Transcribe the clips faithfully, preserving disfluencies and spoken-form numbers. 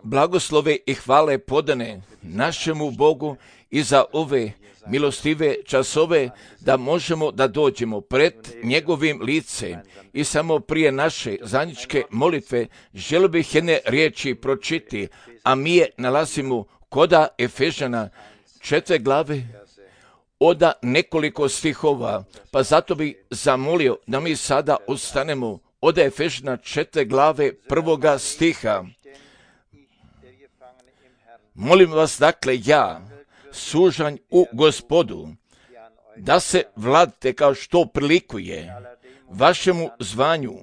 Blagoslove i hvale podane našemu Bogu i za ove milostive časove da možemo da dođemo pred njegovim lice. I samo prije naše zajedničke molitve želio bih jedne riječi pročiti, a mi je nalazimo koda Efežana četiri glave od nekoliko stihova, pa zato bih zamolio da mi sada ustanemo od Efežana četiri glave prvoga stiha. Molim vas dakle ja, sužanj u Gospodu, da se vladite kao što prilikuje vašemu zvanju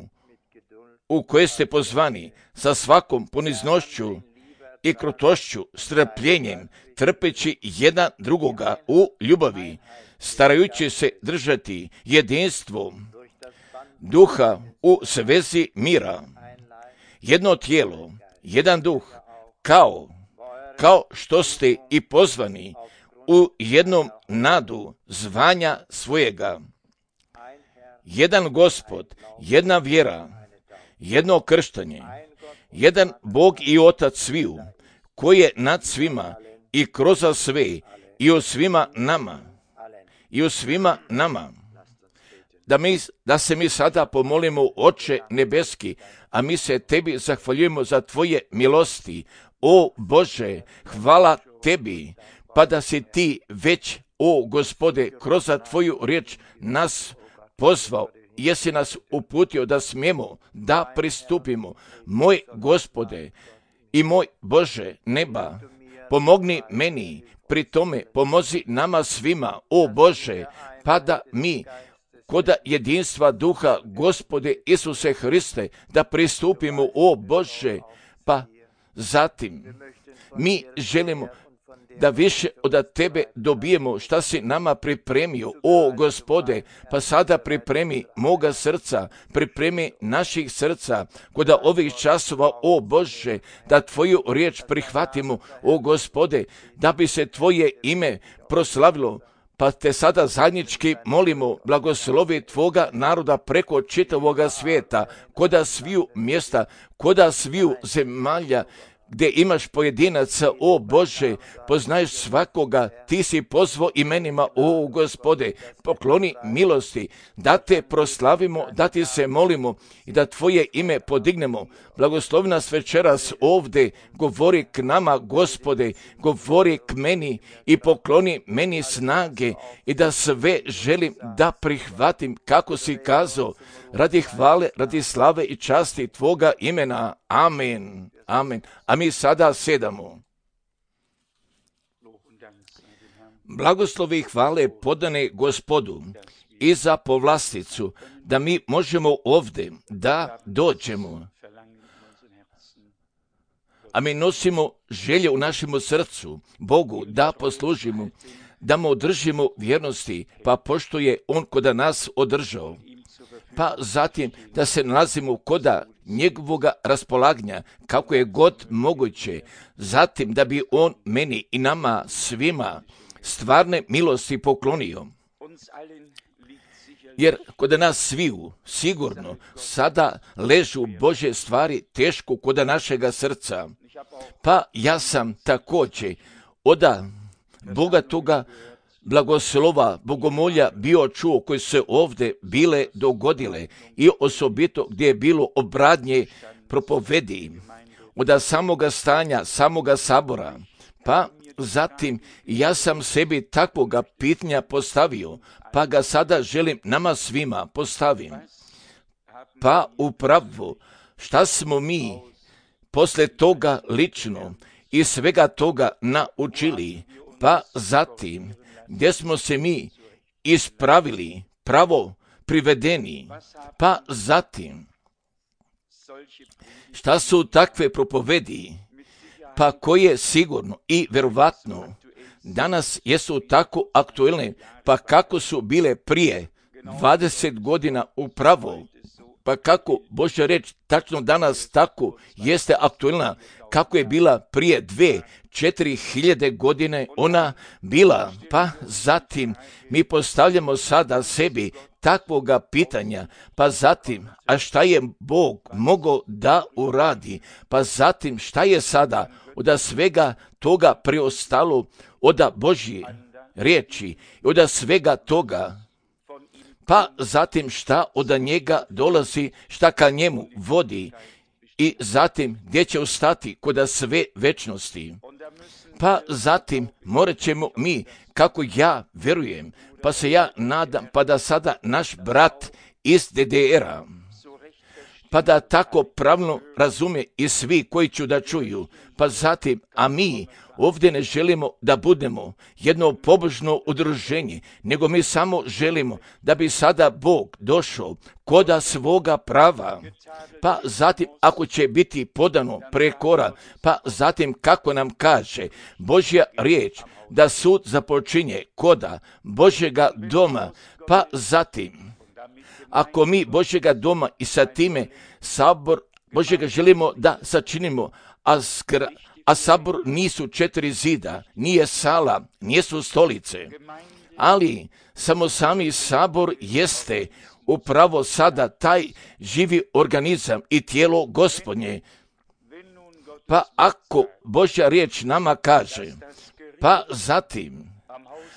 u koje ste pozvani sa svakom poniznošću i krutošću, strpljenjem, trpeći jedan drugoga u ljubavi, starajući se držati jedinstvo duha u svezi mira, jedno tijelo, jedan duh, kao kao što ste i pozvani u jednom nadu zvanja svojega. Jedan Gospod, jedna vjera, jedno krštanje, jedan Bog i Otac sviju, koji je nad svima i kroz sve i u svima nama. I u svima nama. Da, mi, da se mi sada pomolimo, Oče nebeski, a mi se tebi zahvaljujemo za tvoje milosti. O Bože, hvala tebi, pa da si ti već, o Gospode, kroz tvoju riječ nas pozvao, jesi nas uputio da smijemo da pristupimo. Moj Gospode i moj Bože neba, pomogni meni, pri tome pomozi nama svima, o Bože, pa da mi kod jedinstva duha Gospode Isuse Hriste da pristupimo, o Bože, pa zatim mi želimo da više od tebe dobijemo šta si nama pripremio, o Gospode, pa sada pripremi moga srca, pripremi naših srca kod ovih časova, o Bože, da tvoju riječ prihvatimo, o Gospode, da bi se tvoje ime proslavilo. Pa te sada zajednički molimo, blagoslovi tvoga naroda preko čitavoga svijeta, koda sviju mjesta, koda sviju zemalja, gdje imaš pojedinaca, o Bože, poznaješ svakoga, ti si pozvao imenima, o Gospode, pokloni milosti, da te proslavimo, da ti se molimo i da tvoje ime podignemo. Blagoslovi nas večeras ovdje, govori k nama, Gospode, govori k meni i pokloni meni snage i da sve želim da prihvatim kako si kazao, radi hvale, radi slave i časti tvoga imena. Amen. Amen. A mi sada sedamo. Blagoslovi i hvale podane Gospodu i za povlasticu, da mi možemo ovdje da dođemo. A mi nosimo želje u našemu srcu Bogu da poslužimo, da mu održimo vjernosti, pa pošto je On kod nas održao. Pa zatim da se nalazimo koda njegovoga raspolaganja, kako je god moguće, zatim da bi on meni i nama svima stvarne milosti poklonio. Jer kod nas sviju sigurno sada ležu Božje stvari teško kod našega srca. Pa ja sam također od Boga toga blagoslova, bogomolja bio čuo koji se ovdje bile dogodile i osobito gdje je bilo obradnje propovedi od samoga stanja, samoga sabora. Pa zatim ja sam sebi takvoga pitanja postavio, pa ga sada želim nama svima postavim. Pa upravo šta smo mi posle toga lično i svega toga naučili, pa zatim gdje smo se mi ispravili, pravo privedeni, pa zatim šta su takve propovedi, pa koje sigurno i verovatno danas jesu tako aktuelne, pa kako su bile prije dvadeset godina upravo, pa kako Božja reč tačno danas tako jeste aktuelna, kako je bila prije dve, četiri hiljade godine ona bila. Pa zatim mi postavljamo sada sebi takvoga pitanja, pa zatim, a šta je Bog mogao da uradi, pa zatim šta je sada od svega toga preostalo od Božje riječi, od svega toga, pa zatim šta od njega dolazi, šta ka njemu vodi i zatim gdje će ostati kod sve večnosti. Pa zatim morat ćemo mi, kako ja verujem, pa se ja nadam, pa da sada naš brat iz D D R-a, pa da tako pravno razume i svi koji ću da čuju, pa zatim, a mi ovdje ne želimo da budemo jedno pobožno udruženje, nego mi samo želimo da bi sada Bog došao koda svoga prava, pa zatim ako će biti podano prekora, pa zatim kako nam kaže Božja riječ, da sud započinje koda Božjega doma, pa zatim ako mi Božjega doma i sa time sabor Božjega želimo da sačinimo, a, skra, a sabor nisu četiri zida, nije sala, nisu stolice, ali samo sami sabor jeste upravo sada taj živi organizam i tijelo Gospodnje. Pa ako Božja riječ nama kaže, pa zatim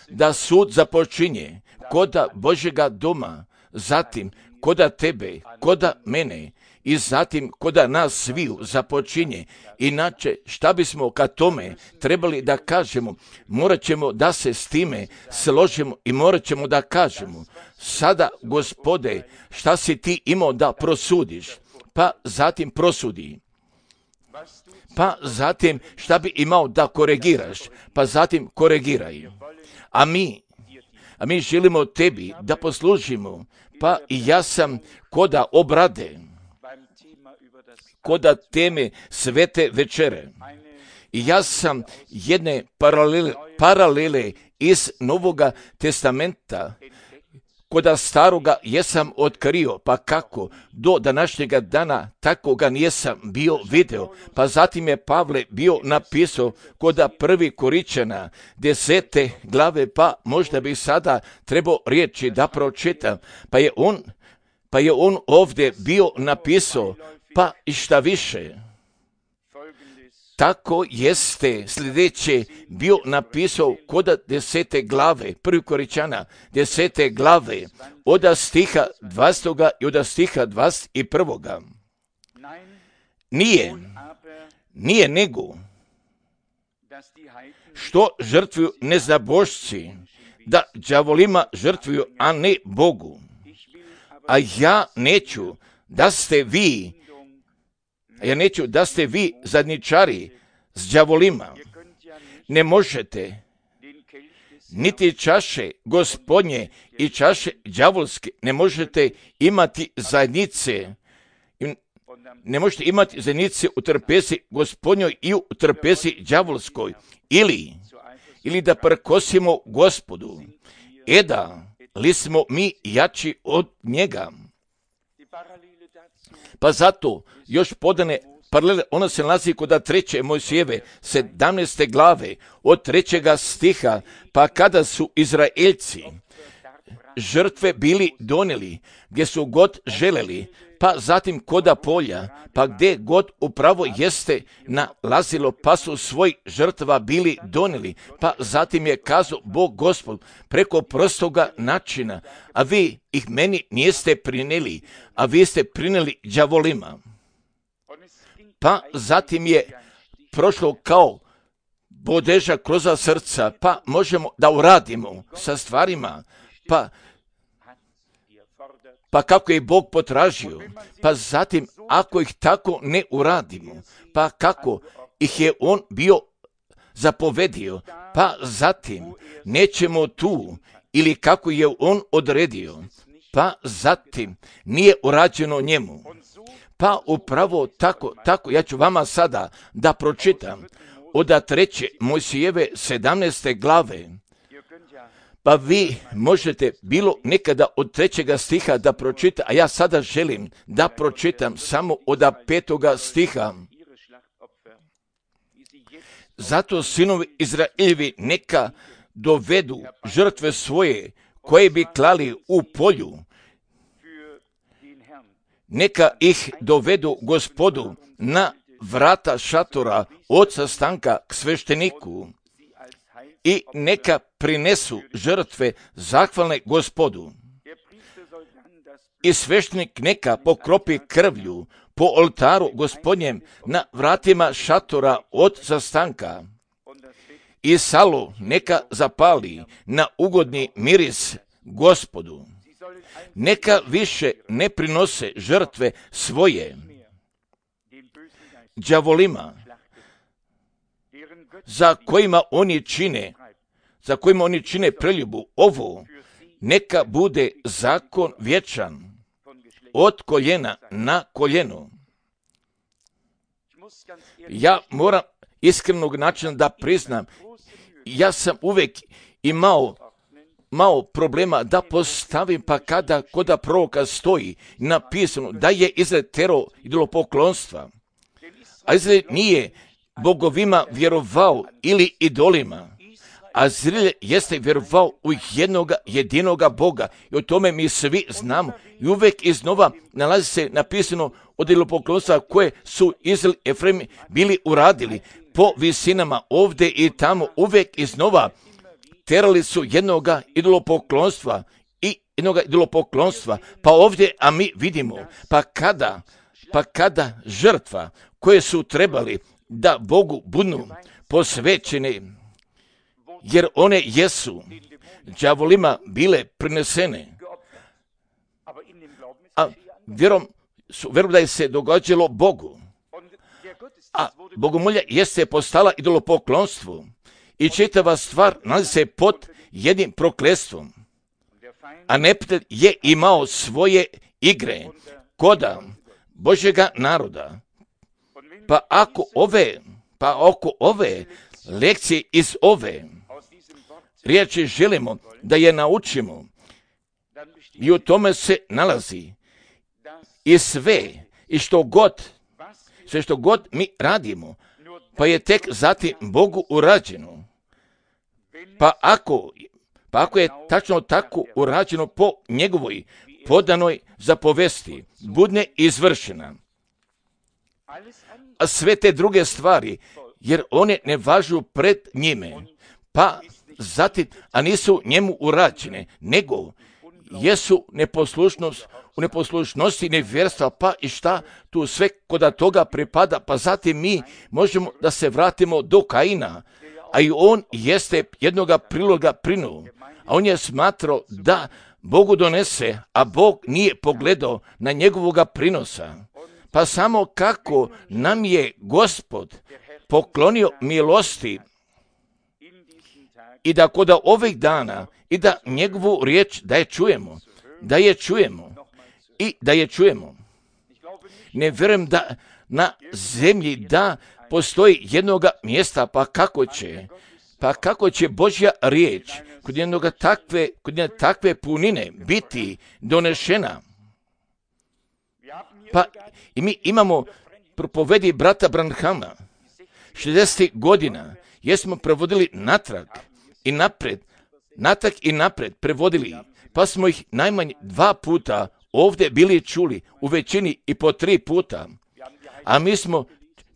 da sud započinje koda Božjega doma, zatim koda tebe, koda mene i zatim koda nas sviju započinje. Inače, šta bismo ka tome trebali da kažemo? Morat ćemo da se s time složimo i morat ćemo da kažemo, sada, Gospode, šta si ti imao da prosudiš? Pa zatim prosudi. Pa zatim šta bi imao da koregiraš? Pa zatim koregiraj. A mi, a mi želimo tebi da poslužimo. Pa i ja sam koda obrade, koda teme svete večere. I ja sam jedne paralele, paralele iz Novoga testamenta koda staroga jesam otkrio, pa kako do današnjega dana tako ga nijesam bio video. Pa zatim je Pavle bio napisao koda prvi Koričana desete glave, pa možda bi sada trebao riječi da pročitam. Pa je on, pa je on ovdje bio napisao, pa i šta više. Tako jeste sljedeće bio napisao koda desete glave, prvi Koričana, desete glave, od stiha dvastog i od stiha dvadeset prvog. Nije, nije nego, što žrtvuju neznabošci, da đavolima žrtvuju, a ne Bogu. A ja neću da ste vi, ja neću da ste vi zadnjičari s đavolima. Ne možete niti čaše Gospodnje i čaše đavolske, ne možete imati zajednice, ne možete imati zajednice u trpezi Gospodnjoj i u trpezi đavolskoj, ili, ili da prkosimo Gospodu, eda li smo mi jači od njega. Pa zato još podane paralele, ona se nalazi kod treće Mojsijeve, sedamnaeste glave, od trećega stiha, pa kada su Izraeljci žrtve bili donijeli, gdje su god želeli, pa zatim koda polja, pa gdje god upravo jeste nalazilo, pa su svoj žrtva bili donijeli, pa zatim je kazao Bog Gospod preko prostoga načina, a vi ih meni niste prinijeli, a vi ste prinijeli đavolima. Pa zatim je prošlo kao bodeža kroz srca, pa možemo da uradimo sa stvarima, pa Pa kako je Bog potražio, pa zatim ako ih tako ne uradimo, pa kako ih je On bio zapovedio, pa zatim nećemo tu ili kako je On odredio, pa zatim nije urađeno njemu. Pa upravo tako, tako ja ću vama sada da pročitam od treće Mojsijeve sedamnaeste glave. Pa vi možete bilo nekada od trećega stiha da pročita, a ja sada želim da pročitam samo od petoga stiha. Zato sinovi Izraeljevi neka dovedu žrtve svoje koje bi klali u polju neka ih dovedu Gospodu na vrata šatora od sastanka k svešteniku i neka prinesu žrtve zahvalne Gospodu. I sveštenik neka pokropi krvlju po oltaru Gospodnjem na vratima šatora od sastanka i salo neka zapali na ugodni miris Gospodu. Neka više ne prinose žrtve svoje đavolima, za kojima oni čine, za kojima oni čine preljubu. Ovo neka bude zakon vječan od koljena na koljeno. Ja moram iskrenog načina da priznam, ja sam uvijek imao malo problema da postavim, pa kada koda proroka stoji napisano da je Izrael terao idolopoklonstva, a Izrael nije bogovima vjerovao ili idolima, a Izrael jeste vjerovao u jednoga jedinoga Boga i o tome mi svi znamo i uvijek iznova nalazi se napisano od idolopoklonstva koje su Izrael i Efraim bili uradili po visinama ovdje i tamo, uvijek iznova terali su jednoga idolopoklonstva i jednoga idolopoklonstva, pa ovdje, a mi vidimo, pa kada, pa kada žrtva koje su trebali da Bogu budu posvećene, jer one jesu đavolima bile prinesene, a vjerom, vjerom da je se događalo Bogu, a bogomolja jeste postala idolopoklonstvo i čitava stvar nalazi se pod jednim prokletstvom, a neprijatelj je imao svoje igre koda Božjega naroda. Pa ako ove, pa ako ove lekcije iz ove riječi želimo da je naučimo, i u tome se nalazi i sve i što god, sve što god mi radimo, pa je tek zatim Bogu urađeno. Pa ako, pa ako je tačno tako urađeno po njegovoj podanoj zapovesti, budne izvršena. A sve te druge stvari, jer one ne važu pred njime, pa zatim, a nisu njemu urađene, nego jesu neposlušnost, u neposlušnosti nevjerstva, pa i šta tu sve koda toga pripada, pa zatim mi možemo da se vratimo do Kaina, a i on jeste jednoga priloga prinuo, a on je smatrao da Bogu donese, a Bog nije pogledao na njegovoga prinosa. Pa samo kako nam je Gospod poklonio milosti i da koda ovih dana i da njegovu riječ da je čujemo, da je čujemo i da je čujemo. Ne vjerujem da na zemlji da postoji jednoga mjesta, pa kako će, pa kako će Božja riječ kod jednoga takve, kod jedne takve punine biti donešena. Pa i mi imamo propovedi brata Branhama. šezdeset godina jesmo prevodili natrag i napred, natrag i napred prevodili, pa smo ih najmanje dva puta ovdje bili čuli, u većini i po tri puta. A mi smo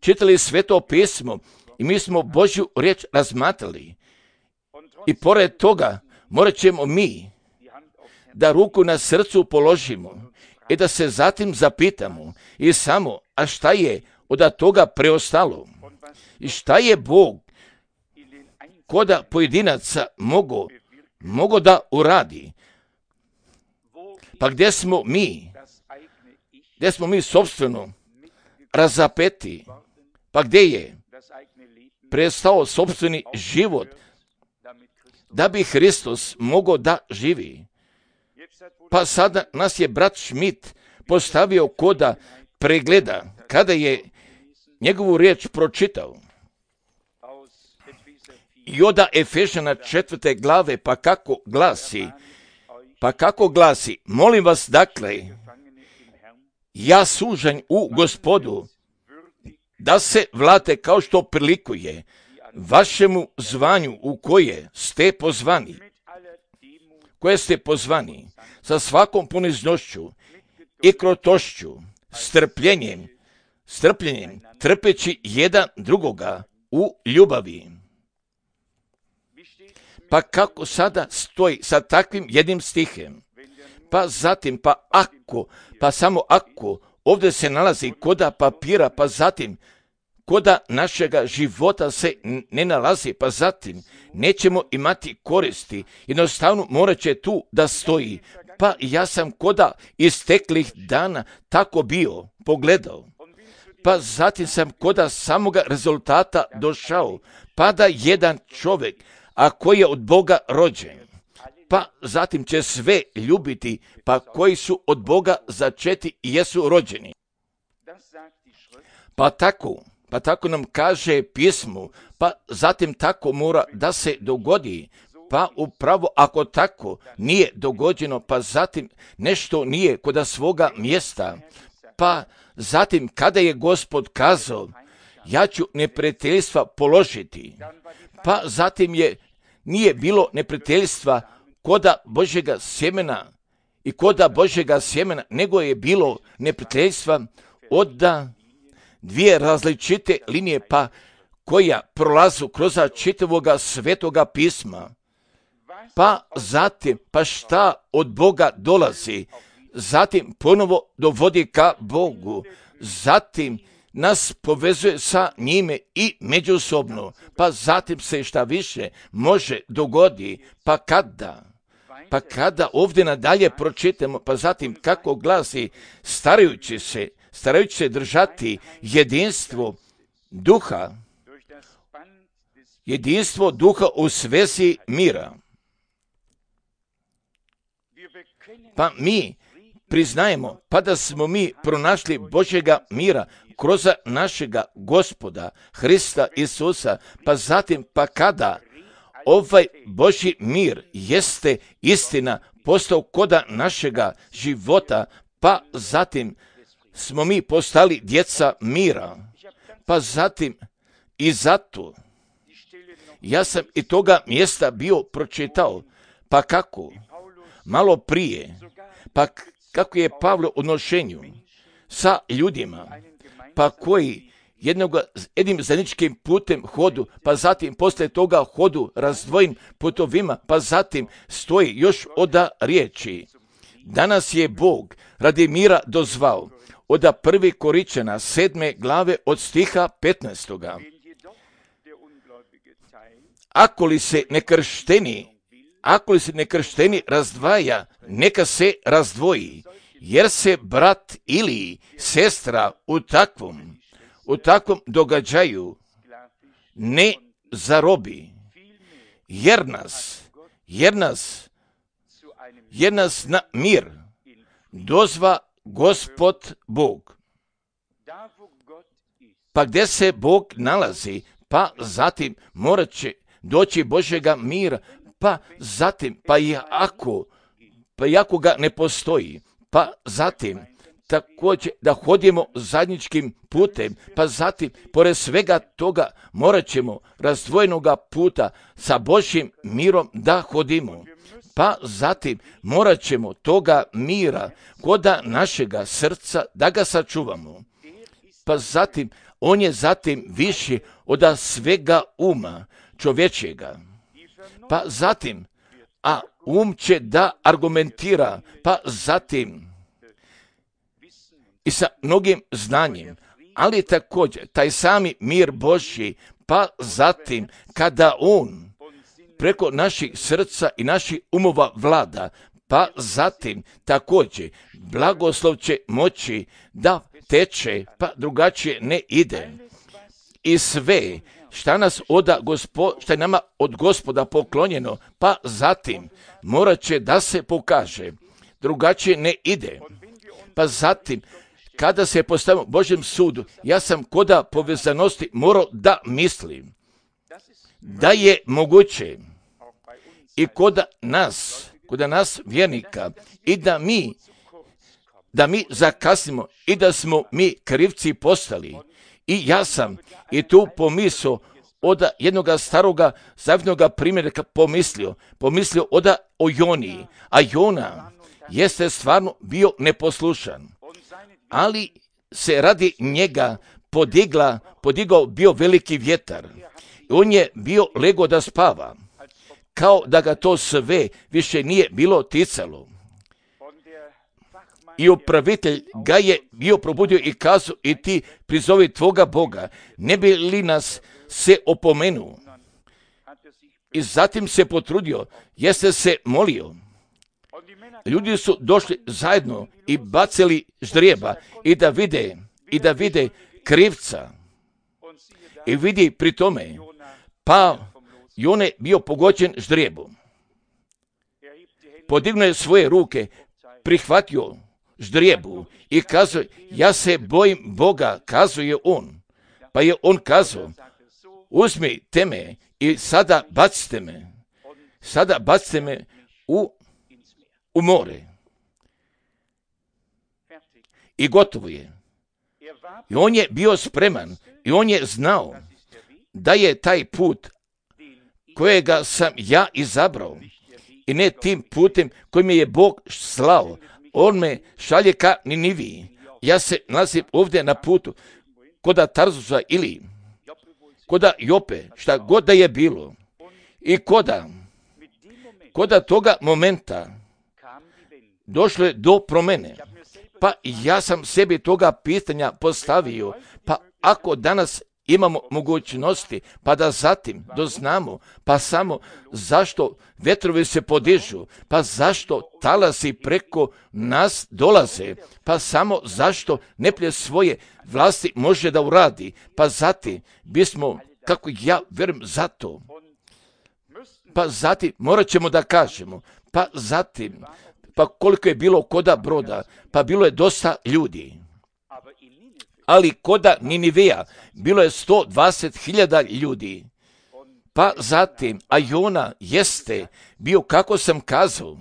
čitali Sveto pismo i mi smo Božju riječ razmatrali. I pored toga morat ćemo mi da ruku na srcu položimo i da se zatim zapitamo i samo, a šta je od toga preostalo? I šta je Bog koda pojedinaca mogo, mogo da uradi? Pa gdje smo mi? Gdje smo mi sobstveno razapeti? Pa gdje je prestao sobstveni život da bi Hristos mogao da živi? Pa sada nas je brat Schmidt postavio koda pregleda kada je njegovu riječ pročitao. I od Efežana četvrte glave, pa kako glasi, pa kako glasi, molim vas dakle, ja sužanj u Gospodu, da se vlate kao što prilikuje vašemu zvanju u koje ste pozvani, koje ste pozvani sa svakom poniznošću i krotošću, strpljenjem, strpljenjem, trpeći jedan drugoga u ljubavi. Pa kako sada stoji sa takvim jednim stihem? Pa zatim, pa ako, pa samo ako, ovdje se nalazi koda papira, pa zatim, koda našega života se ne nalazi, pa zatim, nećemo imati koristi. Jednostavno morat će tu da stoji. Pa ja sam koda isteklih dana tako bio, pogledao. Pa zatim sam koda samoga rezultata došao, pa da jedan čovjek, a koji je od Boga rođen, pa zatim će sve ljubiti, pa koji su od Boga začeti i jesu rođeni. Pa tako, pa tako nam kaže pismo, pa zatim tako mora da se dogodi, pa upravo ako tako nije dogođeno, pa zatim nešto nije kod svoga mjesta, pa zatim kada je Gospod kazao, ja ću neprijateljstva položiti, pa zatim je nije bilo neprijateljstva koda Božjega sjemena i koda Božjega sjemena, nego je bilo neprijateljstva od dvije različite linije, pa koja prolazu kroz čitavoga svetoga pisma. Pa zatim, pa šta od Boga dolazi, zatim ponovo dovodi ka Bogu, zatim nas povezuje sa njime i međusobno, pa zatim se šta više može dogodi, pa kada, pa kada ovdje nadalje pročitamo, pa zatim kako glasi, starajući se, starajući se držati jedinstvo duha, jedinstvo duha u svezi mira. Pa mi priznajemo, pa da smo mi pronašli Božjega mira kroz našega Gospoda, Hrista Isusa, pa zatim, pa kada ovaj Božji mir jeste istina postao koda našega života, pa zatim smo mi postali djeca mira, pa zatim i zato ja sam i toga mjesta bio pročitao, pa kako, malo prije, pa kako je Pavle u odnošenju sa ljudima, pa koji jednog, jednim zajedničkim putem hodu, pa zatim poslije toga hodu razdvojim putovima, pa zatim stoji još oda riječi. Danas je Bog radi mira dozvao oda prvi Koričana sedme glave od stiha petnaestoga. Ako li se nekršteni, ako li se nekršteni razdvaja, neka se razdvoji, jer se brat ili sestra u takvom, u takvom događaju ne zarobi, jer nas, jer nas, jer nas na mir dozva Gospod Bog. Pa gdje se Bog nalazi, pa zatim morat će doći Božjega mira, pa zatim, pa i ako, pa i ako ga ne postoji, pa zatim također da hodimo zajedničkim putem, pa zatim, pored svega toga, morat ćemo razdvojenoga puta sa Božjim mirom da hodimo. Pa zatim morat ćemo toga mira koda našega srca da ga sačuvamo. Pa zatim, on je zatim viši od svega uma čovječjega. Pa zatim, a um će da argumentira, pa zatim i sa mnogim znanjem, ali također taj sami mir Božji, pa zatim kada on preko naših srca i naših umova vlada, pa zatim također blagoslov će moći da teče, pa drugačije ne ide. I sve šta nas oda gospo, šta je nama od Gospoda poklonjeno, pa zatim morat će da se pokaže, drugačije ne ide. Pa zatim, kada se postavimo Božjem sudu, ja sam koda povezanosti morao da mislim da je moguće i koda nas, koda nas vjernika, i da mi, da mi zakasnimo i da smo mi krivci postali. I ja sam i tu pomislio od jednog staroga zavjetnoga primjerka pomislio, pomislio oda o Joniji, a Jona jeste stvarno bio neposlušan. ali se radi njega podigla, podigao bio veliki vjetar. On je bio lego da spava, kao da ga to sve više nije bilo ticalo. I upravitelj ga je bio probudio i kazao, i ti prizovi tvoga Boga, ne bi li nas se opomenuo. I zatim se potrudio, jeste se molio. Ljudi su došli zajedno i bacili ždrijeba i da vide, i da vide krivca. I vidi pri tome, pa i on je bio pogođen ždrijebom. Podignuo je svoje ruke, prihvatio ždrijebu i kazao, ja se bojim Boga, kazao je on. Pa je on kazao, uzmite me i sada bacite me, sada bacite me u, u more. I gotovo je. I on je bio spreman i on je znao da je taj put kojega sam ja izabrao i ne tim putem kojim je Bog slao. On me šalje ka Niniviji. Ja se nalazim ovdje na putu koda Tarzusa ili koda Jope, šta god da je bilo. I koda, koda toga momenta došlo je do promjene. Pa ja sam sebi toga pitanja postavio, pa ako danas imamo mogućnosti, pa da zatim doznamo, pa samo zašto vetrovi se podižu, pa zašto talasi preko nas dolaze, pa samo zašto neplje svoje vlasti može da uradi, pa zatim bismo, kako ja vjerujem, zato, pa zatim morat ćemo da kažemo, pa zatim, pa koliko je bilo koda broda, pa bilo je dosta ljudi. Ali koda Niniveja bilo je sto dvadeset hiljada ljudi. Pa zatim, a Jona jeste bio, kako sam kazao,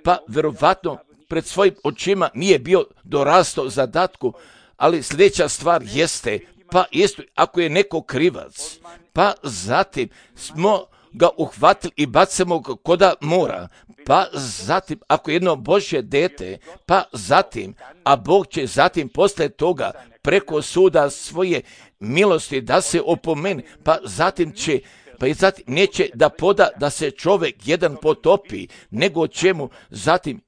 pa verovatno pred svojim očima nije bio dorastao zadatku, ali sljedeća stvar jeste, pa isto ako je neko krivac, pa zatim smo ga uhvatili i bacimo ga koda mora, pa zatim ako je jedno Božje dete, pa zatim, a Bog će zatim posle toga preko suda svoje milosti da se opomeni, pa zatim će, pa i zatim neće da poda da se čovjek jedan potopi, nego će mu zatim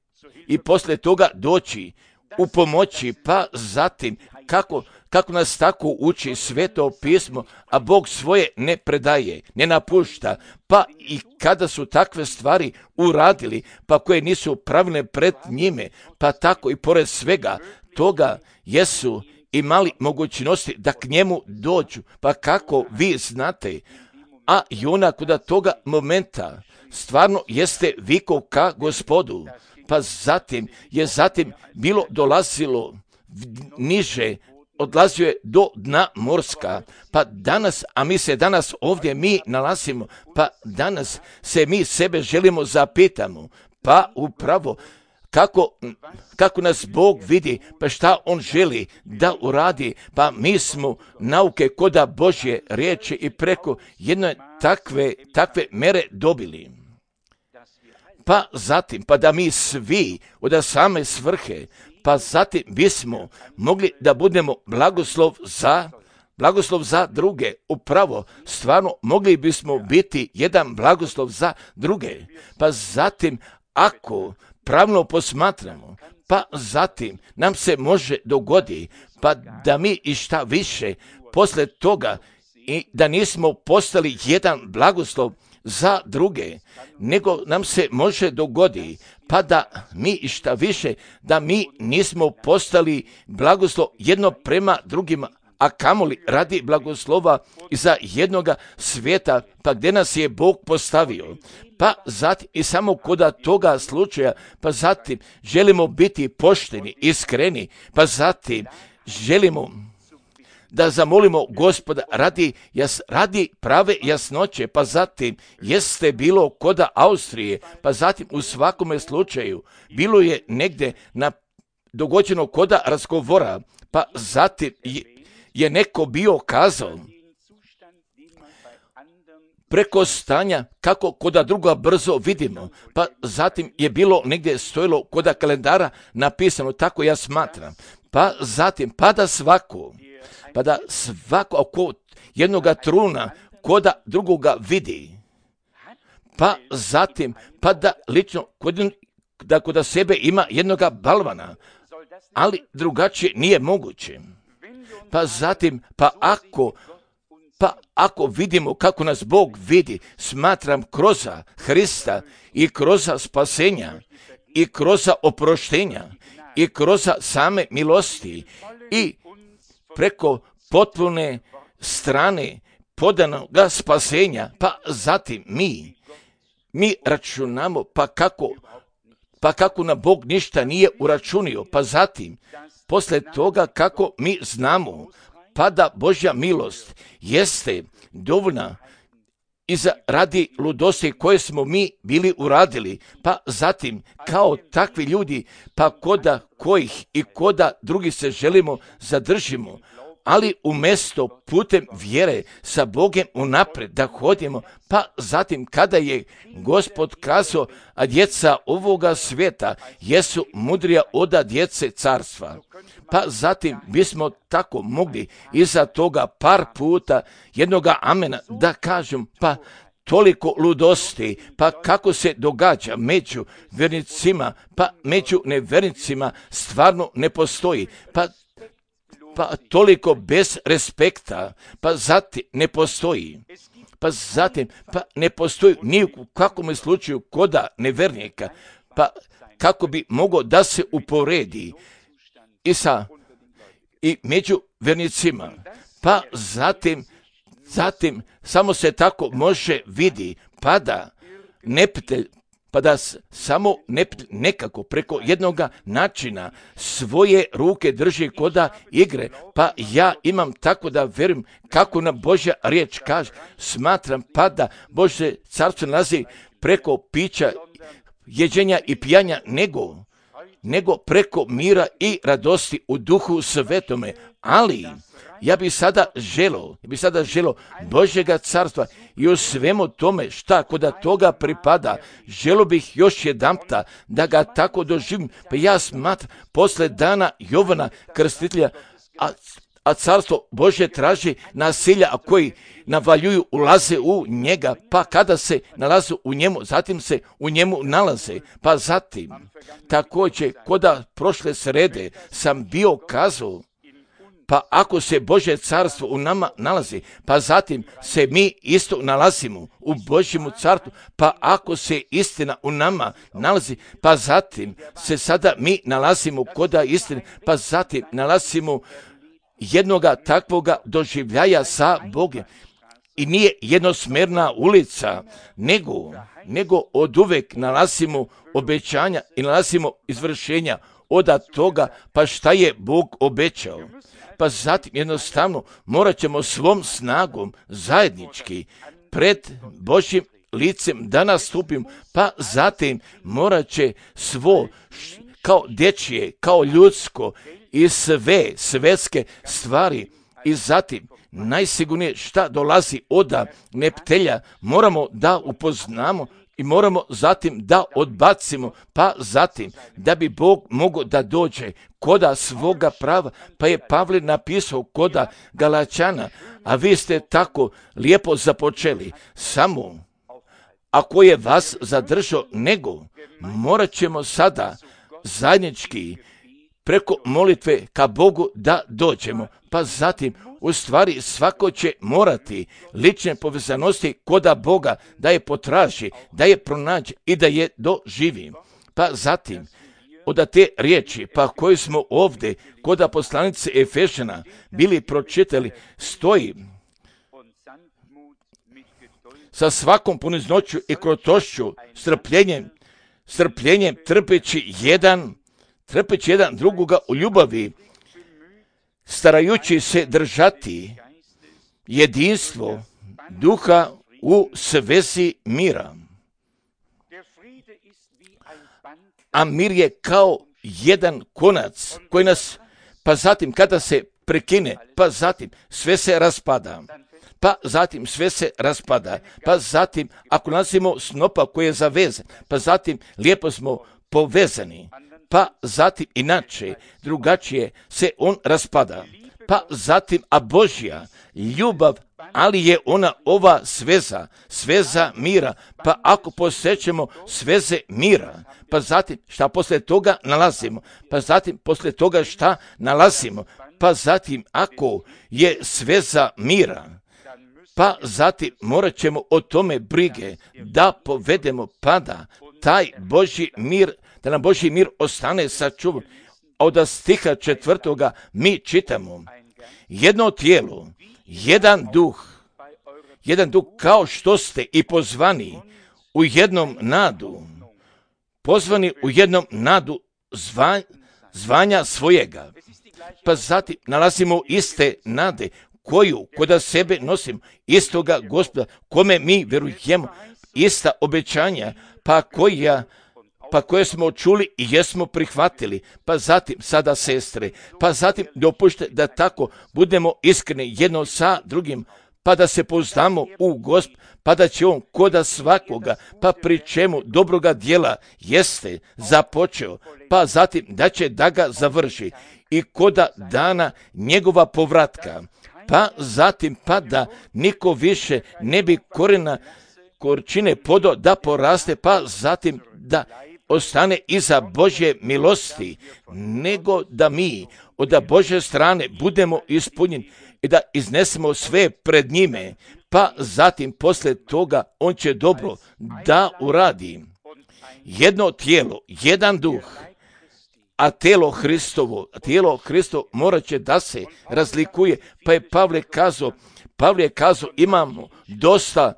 i posle toga doći u pomoći, pa zatim kako Kako nas tako uči Sveto pismo, a Bog svoje ne predaje, ne napušta, pa i kada su takve stvari uradili, pa koje nisu pravilne pred njime, pa tako i pored svega toga jesu imali mogućnosti da k njemu dođu, pa kako vi znate, a Jona kod toga momenta stvarno jeste vikao ka Gospodu, pa zatim je zatim bilo dolazilo niže, odlazio je do dna morska, pa danas, a mi se danas ovdje mi nalazimo, pa danas se mi sebe želimo zapitamo, pa upravo kako, kako nas Bog vidi, pa šta On želi da uradi, pa mi smo nauke koda Božje riječi i preko jedne takve, takve mere dobili. Pa zatim, pa da mi svi od same svrhe, pa zatim bismo mogli da budemo blagoslov za, blagoslov za druge. Upravo, stvarno, mogli bismo biti jedan blagoslov za druge. Pa zatim, ako pravno posmatramo, pa zatim nam se može dogodi, pa da mi i šta više posle toga i da nismo postali jedan blagoslov za druge, nego nam se može dogodi, pa da mi i šta više, da mi nismo postali blagoslov jedno prema drugima, a kamoli radi blagoslova za jednoga svijeta, pa gdje nas je Bog postavio. Pa zatim i samo koda toga slučaja, pa zatim želimo biti pošteni, iskreni, pa zatim želimo da zamolimo Gospoda radi, jas, radi prave jasnoće, pa zatim jeste bilo koda Austrije, pa zatim u svakome slučaju bilo je negdje na dogođeno koda razgovora, pa zatim je, je neko bio kazao, preko stanja kako koda druga brzo vidimo, pa zatim je bilo negdje stojilo koda kalendara napisano, tako ja smatram, pa zatim pada svako, pa da svako oko jednoga truna koda drugoga vidi, pa zatim pa da lično kod, da kod sebe ima jednoga balvana, ali drugačije nije moguće. Pa zatim, pa ako Pa ako vidimo kako nas Bog vidi, smatram kroz Hrista i kroz spasenja i kroz oproštenja i kroz same milosti i preko potpune strane podanoga spasenja, pa zatim mi, mi računamo pa kako, pa kako na Bog ništa nije uračunio, pa zatim posle toga kako mi znamo pa da Božja milost jeste dovoljna i za radi ludosti koje smo mi bili uradili, pa zatim kao takvi ljudi, pa koda kojih i koda drugih se želimo zadržimo, ali umjesto putem vjere sa Bogem unapred da hodimo, pa zatim kada je Gospod kazao, a djeca ovoga svijeta jesu mudrija od djece carstva. Pa zatim bismo tako mogli iza toga par puta jednoga amena da kažem, pa toliko ludosti, pa kako se događa među vjernicima, pa među nevjernicima stvarno ne postoji, pa pa toliko bez respekta, pa zatim ne postoji, pa zatim pa ne postoji ni u kakvom slučaju koda nevjernika, pa kako bi mogao da se uporedi i sa i među vjernicima, pa zatim zatim samo se tako može vidi, pa da neprijatelj pa da samo ne, nekako preko jednoga načina svoje ruke drži koda igre, pa ja imam tako da vjerujem kako nam Božja riječ kaže, smatram pa da Božje carstvo nalazi preko pića, jeđenja i pijanja, nego, nego preko mira i radosti u duhu svetome, ali ja bih sada želo, ja bih sada želo Božjega carstva i u svemu tome šta koda toga pripada, želo bih još jedanputa da ga tako doživim, pa ja smatram posle dana Jovana Krstitelja, a, a carstvo Božje traži nasilja, a koji navaljuju, ulaze u njega, pa kada se nalaze u njemu, zatim se u njemu nalaze, pa zatim također koda prošle srede sam bio kazao, pa ako se Božje carstvo u nama nalazi, pa zatim se mi isto nalazimo u Božjemu carstvu, pa ako se istina u nama nalazi, pa zatim se sada mi nalazimo koda istine, pa zatim nalazimo jednoga takvoga doživljaja sa Bogom. I nije jednosmjerna ulica, nego, nego od uvek nalazimo obećanja i nalazimo izvršenja od toga, pa šta je Bog obećao. Pa zatim jednostavno morat ćemo svom snagom zajednički pred Božjim licem da nastupim, pa zatim morat će svo kao dječje, kao ljudsko i sve svetske stvari i zatim najsigurnije šta dolazi od neptelja moramo da upoznamo i moramo zatim da odbacimo, pa zatim da bi Bog mogao da dođe koda svoga prava, pa je Pavle napisao koda Galačana, a vi ste tako lijepo započeli, samo ako je vas zadržao, nego morat ćemo sada zajednički preko molitve ka Bogu da dođemo, pa zatim u stvari svako će morati lične povezanosti koda Boga da je potraži, da je pronađe i da je doživi. Pa zatim od te riječi, pa koje smo ovdje koda poslanice Efešana bili pročitali, stoji sa svakom poniznoću i krotošću, strpljenjem, strpljenjem trpeći jedan, trpeći jedan drugoga u ljubavi, starajući se držati jedinstvo duha u svezi mira. A mir je kao jedan konac koji nas, pa zatim kada se prekine, pa zatim sve se raspada. pa zatim sve se raspada, pa zatim ako nalazimo snopa koji je zavezan, pa zatim lijepo smo povezani, pa zatim inače, drugačije se on raspada, pa zatim, a Božja ljubav, ali je ona ova sveza, sveza mira, pa ako posjećemo sveze mira, pa zatim šta poslije toga nalazimo, pa zatim poslije toga šta nalazimo, pa zatim ako je sveza mira, pa zatim morat ćemo o tome brige da povedemo, pa da taj Božji mir, da nam Božji mir ostane sačuvan. Od stiha četvrtoga mi čitamo jedno tijelo, jedan duh, jedan duh kao što ste i pozvani u jednom nadu, pozvani u jednom nadu zva, zvanja svojega. Pa zatim nalazimo iste nade koju kod sebe nosim, istoga Gospoda kome mi vjerujemo, ista obećanja, pa koja pa koje smo čuli i jesmo prihvatili, pa zatim sada sestre, pa zatim dopušte da tako budemo iskreni jedno sa drugim, pa da se pouzdamo u Gosp, pa da će on koda svakoga, pa pri čemu dobroga djela jeste započeo, pa zatim da će da ga završi i koda dana njegova povratka, pa zatim pa da niko više ne bi korena korčine podo da poraste, pa zatim da ostane iza Božje milosti, nego da mi od Božje strane budemo ispunjeni i da iznesemo sve pred njime, pa zatim poslije toga on će dobro da uradi. Jedno tijelo, jedan duh, a tijelo Hristovo, tijelo Hristovo morat će da se razlikuje, pa je Pavle kazao, Pavle je kazao imamo dosta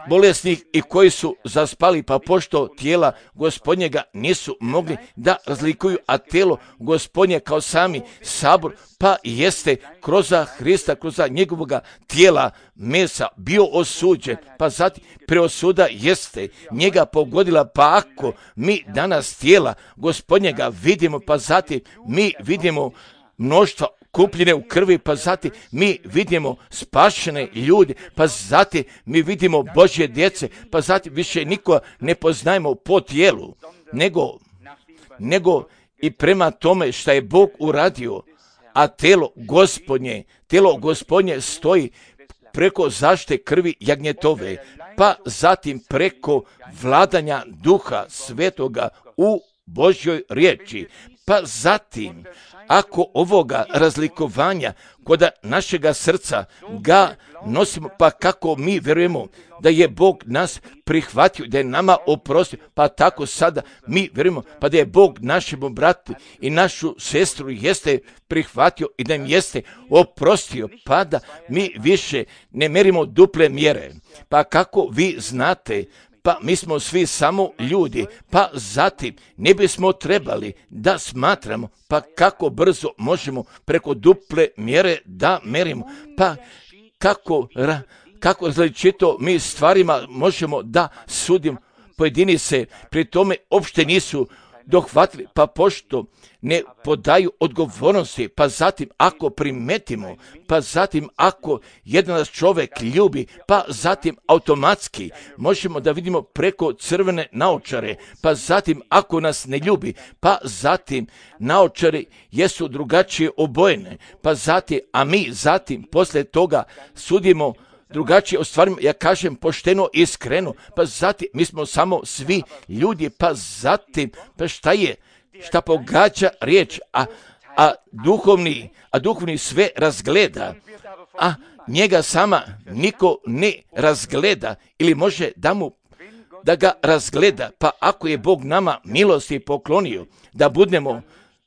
bolesnih i koji su zaspali, pa pošto tijela Gospodnjega nisu mogli da razlikuju, a tijelo Gospodnje kao sami sabor, pa jeste kroz Hrista, kroz njegovoga tijela mesa bio osuđen, pa zatim preosuda jeste njega pogodila, pa ako mi danas tijela Gospodnjega vidimo, pa zatim mi vidimo mnoštva kupljene u krvi, pa zatim mi vidimo spašene ljude, pa zatim mi vidimo Božje djece, pa zatim više niko ne poznajemo po tijelu, nego, nego i prema tome što je Bog uradio, a tijelo Gospodnje, tijelo Gospodnje stoji preko zaštite krvi jagnjetove, pa zatim preko vladanja Duha Svetoga u Božjoj riječi, pa zatim ako ovoga razlikovanja kod našega srca ga nosimo, pa kako mi vjerujemo da je Bog nas prihvatio, da je nama oprostio, pa tako sada mi vjerujemo, pa da je Bog našemu bratu i našu sestru jeste prihvatio i da im jeste oprostio, pa da mi više ne merimo duple mjere. Pa kako vi znate, pa mi smo svi samo ljudi, pa zatim ne bismo trebali da smatramo, pa kako brzo možemo preko duple mjere da merimo, pa kako, kako različito mi stvarima možemo da sudimo. Pojedini se pri tome uopšte nisu dohvatili, pa pošto ne podaju odgovornosti, pa zatim ako primetimo, pa zatim ako jedan nas čovjek ljubi, pa zatim automatski možemo da vidimo preko crvene naočare, pa zatim ako nas ne ljubi, pa zatim naočare jesu drugačije obojene, pa zatim, a mi zatim poslije toga sudimo drugačije o stvarima, ja kažem pošteno i iskreno, pa zatim mi smo samo svi ljudi, pa zatim, pa šta je, šta pogađa riječ, a, a duhovni, a duhovni sve razgleda, a njega sama niko ne razgleda ili može da mu da ga razgleda, pa ako je Bog nama milosti poklonio da budemo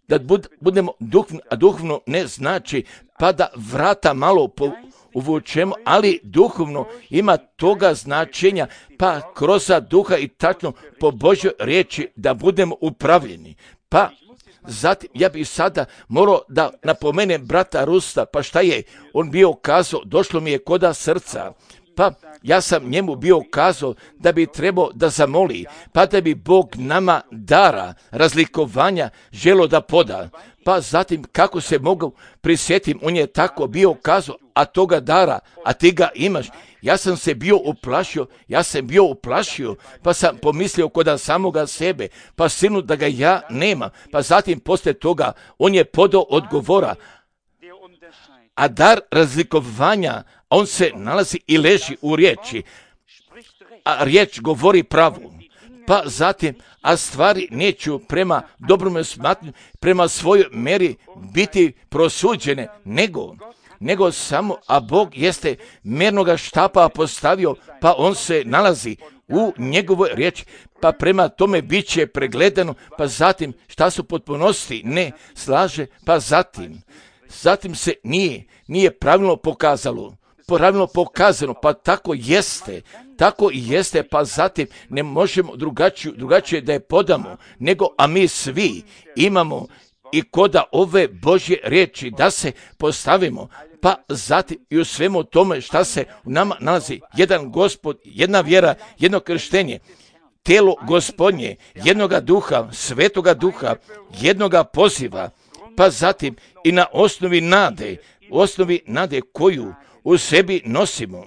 da bud, budemo duhovno, a duhovno ne znači pa da vrata malo po uvučemo, ali duhovno ima toga značenja, pa kroz duha i tačno po Božjoj riječi da budemo upravljeni. Pa zatim ja bih sada morao da napomenem brata Rusta, pa šta je on bio kazao, došlo mi je koda srca, pa ja sam njemu bio kazao da bi trebao da zamoli, pa da bi Bog nama dara razlikovanja želo da poda, Pa zatim kako se mogu prisjetim, on je tako bio kazao, a toga dara, a ti ga imaš. Ja sam se bio uplašio, ja sam bio uplašio, pa sam pomislio kod samoga sebe, pa sinu da ga ja nemam. Pa zatim poslije toga on je podao odgovora, a dar razlikovanja, on se nalazi i leži u riječi, a riječ govori pravu. Pa zatim, a stvari neću prema dobrome smatranju, prema svojoj meri biti prosuđene, nego, nego samo, a Bog jeste mjernoga štapa postavio, pa on se nalazi u njegovoj riječi, pa prema tome bit će pregledano, pa zatim šta su potpunosti ne slaže, pa zatim, zatim se nije, nije pravilno pokazalo, pravilno pokazano, pa tako jeste, tako i jeste, pa zatim ne možemo drugačije, drugačije da je podamo, nego, a mi svi imamo i koda ove Božje riječi da se postavimo, pa zatim i u svemu tome šta se u nama nalazi, jedan Gospod, jedna vjera, jedno krštenje, tijelo Gospodnje, jednoga duha, svetoga duha, jednoga poziva, pa zatim i na osnovi nade, osnovi nade koju u sebi nosimo.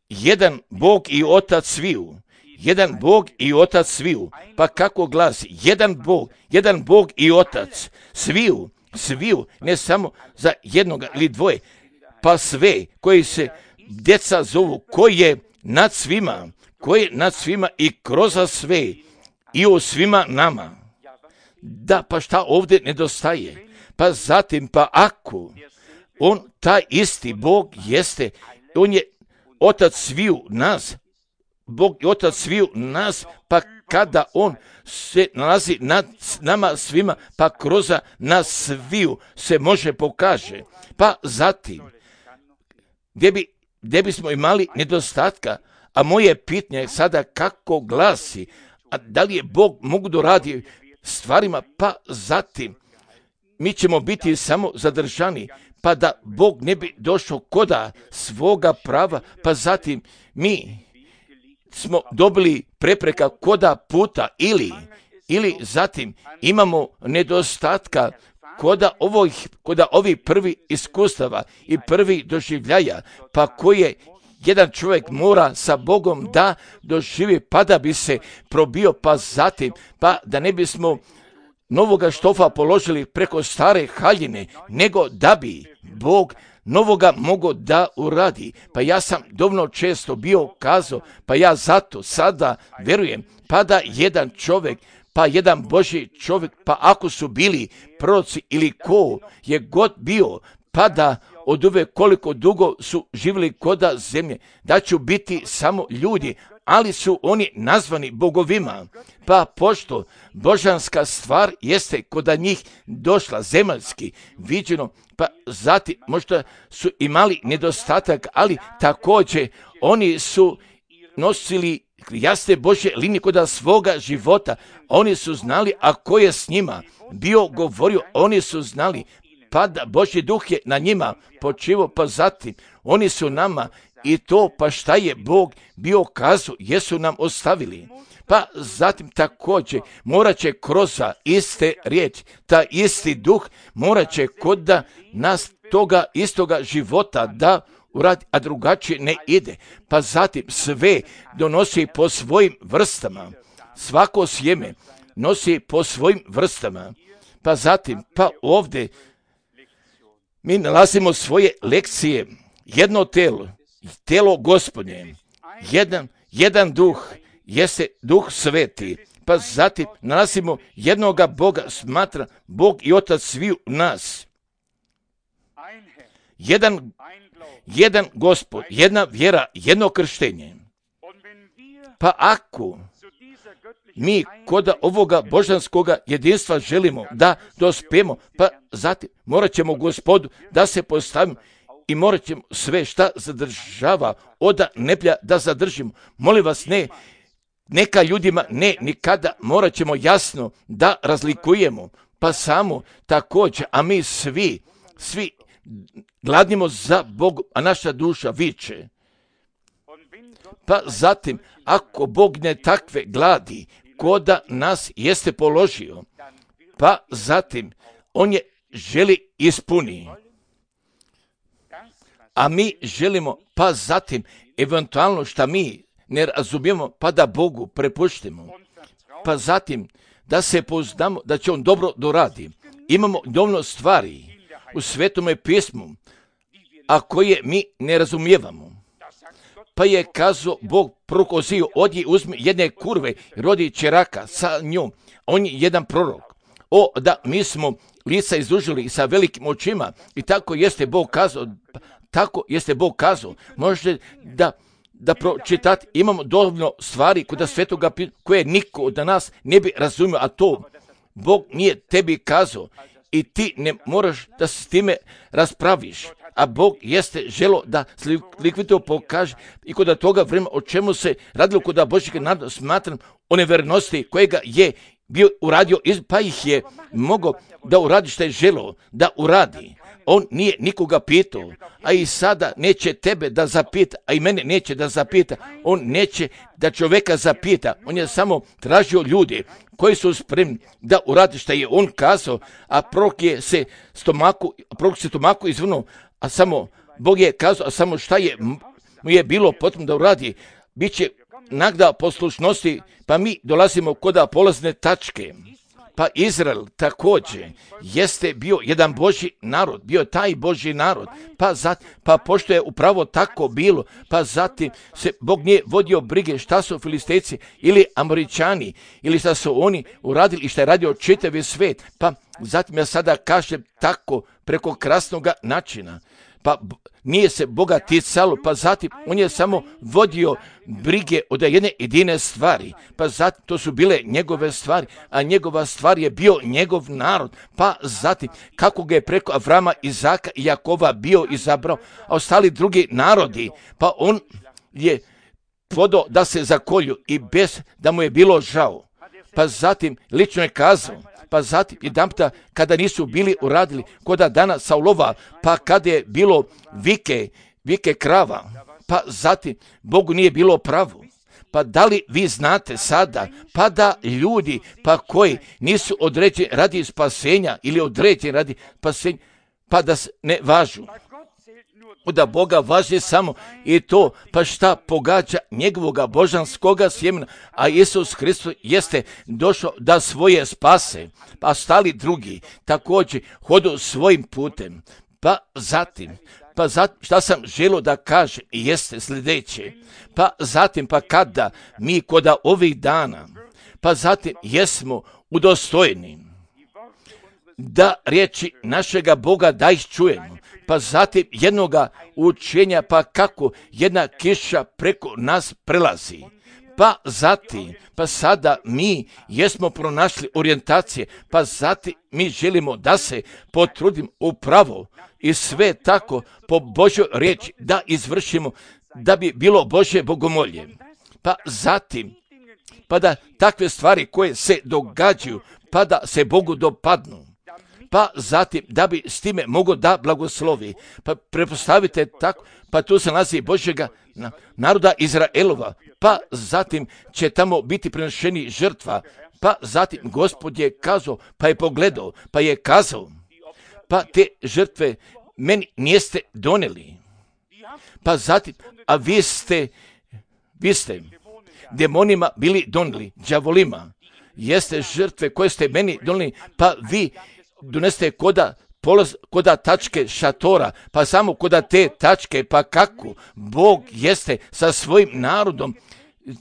Jedan Bog i Otac sviju, jedan Bog i Otac sviju, pa kako glasi, jedan Bog, jedan Bog i Otac sviju, sviju, ne samo za jednoga ili dvoje, pa sve koji se djeca zovu, koji je nad svima, koji je nad svima i kroz sve i u svima nama. Da, pa šta ovdje nedostaje? Pa zatim, pa ako on, taj isti Bog jeste, on je Otac sviju nas, Bog i Otac sviju nas, pa kada on se nalazi nad nama svima, pa kroz nas sviju se može pokaže. Pa zatim, gdje, bi, gdje bismo imali nedostatka, a moje pitanje je sada kako glasi, a da li je Bog mogu da radi stvarima, pa zatim mi ćemo biti samo zadržani, pa da Bog ne bi došao koda svoga prava, pa zatim mi smo dobili prepreka koda puta ili, ili zatim imamo nedostatka koda ovih, koda ovih prvi iskustava i prvi doživljaja, pa koje jedan čovjek mora sa Bogom da doživi, pa da bi se probio, pa zatim, pa da ne bismo novoga štofa položili preko stare haljine, nego da bi Bog novoga mogao da uradi. Pa ja sam dovoljno često bio kazao, pa ja zato sada verujem, pa da jedan čovjek, pa jedan Božji čovjek, pa ako su bili proroci ili ko je god bio, pa da od uvek koliko dugo su živjeli koda zemlje, da će biti samo ljudi, ali su oni nazvani bogovima. Pa pošto božanska stvar jeste koda njih došla zemaljski viđeno, pa zatim možda su imali nedostatak, ali također oni su nosili jasne Božje linije koda svoga života. Oni su znali, a ko je s njima bio govorio, oni su znali, pa da Božji duh je na njima počivao, pa zatim oni su nama i to, pa šta je Bog bio kazao, jesu nam ostavili. Pa zatim također morat će kroz iste riječi, ta isti duh morat će kod da nas toga istoga života da uradi, a drugačije ne ide. Pa zatim sve donosi po svojim vrstama, svako sjeme nosi po svojim vrstama. Pa zatim, pa ovdje mi nalazimo svoje lekcije, jedno telo, telo Gospodnje, jedan, jedan duh, jeste duh sveti, pa zatim nalazimo jednoga Boga, smatra Bog i Otac sviju nas. Jedan, jedan Gospod, jedna vjera, jedno krštenje. Pa ako mi kod ovoga božanskoga jedinstva želimo da dospijemo, pa zatim morat ćemo Gospodu da se postavimo i morat ćemo sve šta zadržava oda neplja da zadržimo. Molim vas, ne, neka ljudima ne, nikada morat ćemo jasno da razlikujemo, pa samo također, a mi svi, svi gladnimo za Bogom, a naša duša viče. Pa zatim, ako Bog ne takve gladi, koda nas jeste položio, pa zatim, on je želi ispuni. A mi želimo, pa zatim, eventualno što mi ne razumijemo, pa da Bogu prepuštimo. Pa zatim, da se pouzdamo da će on dobro doradi. Imamo dovoljno stvari u Svetome pismu, a koje mi ne razumijevamo. Pa je kazao Bog proroku Oziju, odi uzmi jedne kurve, rodi čeraka sa njom. On je jedan prorok. O, da mi smo lica izdužili sa velikim očima i tako jeste Bog kazao, tako jeste Bog kazao. Možete da da pročitati, imamo dovoljno stvari kod Svetoga koje niko od nas ne bi razumio, a to Bog nije tebi kazao i ti ne moraš da se s time raspraviš. A Bog jeste želo da likvidno pokaže i kod toga vremena o čemu se radilo kod Božjeg naroda, smatram o nevernosti kojega je bio uradio, pa ih je mogao da uradi što je želo da uradi. On nije nikoga pitao, a i sada neće tebe da zapita, a i mene neće da zapita. On neće da čovjeka zapita. On je samo tražio ljude koji su spremni da uradi što je on kazao, a prorok je se stomaku, prorok se stomaku izvrnuo, a samo Bog je kazao, a samo šta je mu je bilo potrebno da uradi. Biće nagda poslušnosti, pa mi dolazimo kod polazne tačke. Pa Izrael također jeste bio jedan Božji narod, bio taj Božji narod, pa, zat, pa pošto je upravo tako bilo, pa zatim se Bog nije vodio brige šta su Filistejci ili Amoričani, ili šta su oni uradili i šta je radio čitavi svijet, pa zatim ja sada kažem tako preko krasnog načina. Pa nije se Boga ticalo, pa zatim on je samo vodio brige od jedne jedine stvari, pa zatim to su bile njegove stvari, a njegova stvar je bio njegov narod, pa zatim kako ga je preko Avrama, Izaka i Jakova bio izabrao, a ostali drugi narodi, pa on je vodao da se zakolju i bez da mu je bilo žao, pa zatim lično je kazao, pa zatim jedanputa kada nisu bili uradili koda dana Saulova, pa kada je bilo vike, vike krava, pa zatim Bogu nije bilo pravo. Pa da li vi znate sada, pa da ljudi, pa koji nisu određeni radi spasenja ili određeni radi spasenja, pa da ne važu. Da Boga važi samo i to, pa šta pogađa njegovoga božanskoga sjemena, a Isus Hristos jeste došao da svoje spase, pa stali drugi također hodu svojim putem. Pa zatim, pa zatim šta sam želio da kažem jeste sljedeće, pa zatim pa kada mi koda ovih dana, pa zatim jesmo udostojeni da riječi našega Boga da ih čujemo, pa zatim jednoga učenja, pa kako jedna kiša preko nas prelazi. Pa zatim, pa sada mi jesmo pronašli orijentacije, pa zatim mi želimo da se potrudim upravo i sve tako po Božjoj riječi da izvršimo, da bi bilo Božje bogomolje. Pa zatim, pa da takve stvari koje se događaju, pa da se Bogu dopadnu. Pa zatim, da bi s time mogo da blagoslovi. Pa prepostavite tako, pa tu se nalazi Božjega naroda Izraelova. Pa zatim će tamo biti prinošeni žrtva. Pa zatim Gospod je kazao, pa je pogledao, pa je kazao, pa te žrtve meni niste doneli. Pa zatim, a vi ste, vi ste demonima bili doneli, đavolima. Jeste žrtve koje ste meni doneli, pa vi doneste koda, polaz, koda tačke šatora, pa samo koda te tačke, pa kako Bog jeste sa svojim narodom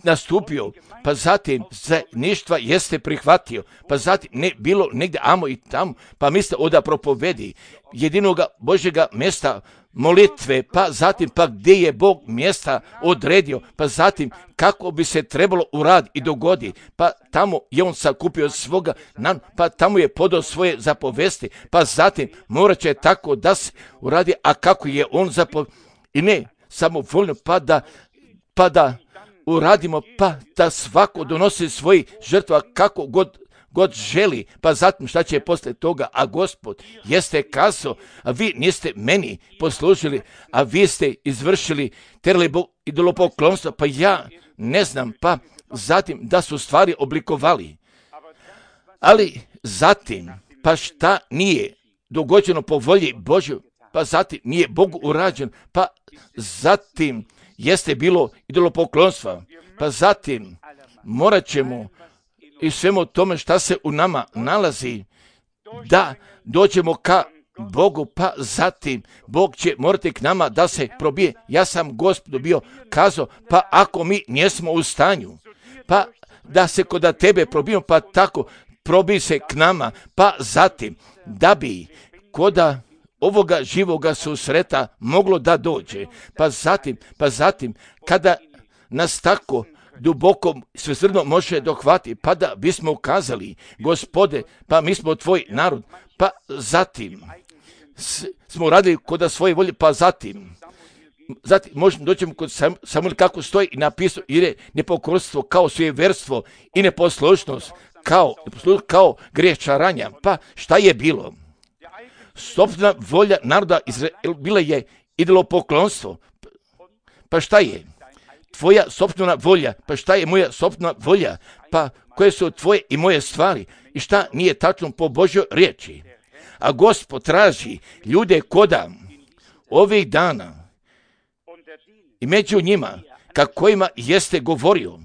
nastupio, pa zatim zajedništva jeste prihvatio, pa zatim ne bilo negdje amo i tamo, pa misle oda propovedi jedinoga Božjega mjesta molitve, pa zatim pa gdje je Bog mjesta odredio, pa zatim kako bi se trebalo uraditi i dogodi, pa tamo je on sakupio svoga, pa tamo je podao svoje zapovesti, pa zatim morat će tako da se uradi, a kako je on zapovesti, i ne samo voljno, pa da, pa da uradimo, pa da svako donosi svoji žrtva kako god god želi, pa zatim šta će poslije toga, a Gospod jeste kazao, a vi niste meni poslužili, a vi ste izvršili terali idolopoklonstvo, pa ja ne znam, pa zatim da su stvari oblikovali. Ali zatim, pa šta nije dogođeno po volji Božju, pa zatim nije Bogu urađen, pa zatim jeste bilo idolopoklonstva, pa zatim morat ćemo i svemu tome šta se u nama nalazi da dođemo ka Bogu, pa zatim Bog će morati k nama da se probije. Ja sam Gospodu bio kazao, pa ako mi njesmo u stanju, pa da se kod tebe probijemo, pa tako probi se k nama, pa zatim da bi koda ovoga živoga susreta moglo da dođe, pa zatim, pa zatim kada nas tako duboko svesrdno može dohvati, pa da bismo ukazali, Gospode, pa mi smo tvoj narod, pa zatim s, smo radili kod svoje volje, pa zatim zatim možemo doćemo kod Sam, Samuel kako stoji i napisao, jer je nepokorstvo kao sujeverstvo i neposlušnost kao, neposlušnost kao grijeh čaranja. Pa šta je bilo? Sopstvena volja naroda Izraela bila je idolopoklonstvo. Pa šta je? Tvoja sopstvena volja, pa šta je moja sopstvena volja, pa koje su tvoje i moje stvari i šta nije tačno po Božjoj riječi. A Gospod traži ljude koda ovih dana i među njima kakvima jeste govorio